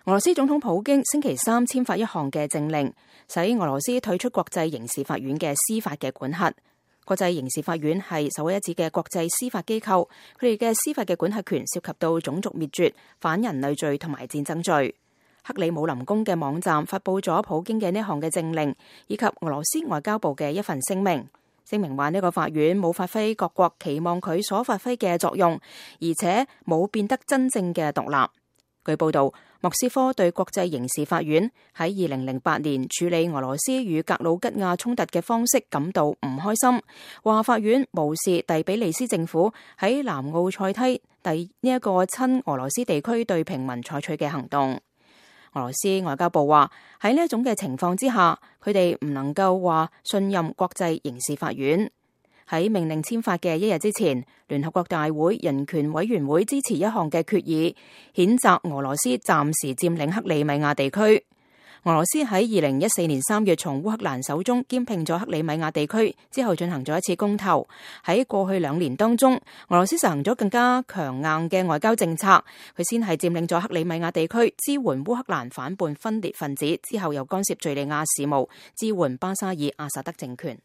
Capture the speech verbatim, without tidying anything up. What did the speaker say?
俄羅斯總統普京星期三簽發一項嘅政令，使俄羅斯退出國際刑事法院嘅司法嘅管轄。國際刑事法院係首屈一指嘅國際司法機構，佢哋嘅司法嘅管轄權涉及到種族滅絕、反人類罪同埋戰爭罪。克里姆林宮嘅網站發佈咗普京嘅呢項嘅政令，以及俄羅斯外交部嘅一份聲明。聲明話呢個法院冇發揮各國期望佢所發揮嘅作用，而且冇變得真正嘅獨立。據報道，莫斯科對國際刑事法院喺二零零八年處理俄羅斯與格魯吉亞衝突嘅方式感到唔開心，話法院無視第比利斯政府喺南奧塞梯第呢一個親俄羅斯地區對平民採取嘅行動。俄羅斯外交部話喺呢一種嘅情況之下，佢哋唔能夠話信任國際刑事法院。喺命令簽發嘅一日之前，聯合國大會人權委員會支持一項嘅決議，譴責俄羅斯暫時佔領克里米亞地區。俄羅斯喺二零一四年三月從烏克蘭手中兼併咗克里米亞地區之後，進行咗一次公投。喺過去兩年當中，俄羅斯實行咗更加強硬嘅外交政策。佢先係佔領咗克里米亞地區，支援烏克蘭反叛分裂分子，之後又干涉敘利亞事務，支援巴沙爾阿薩德政權。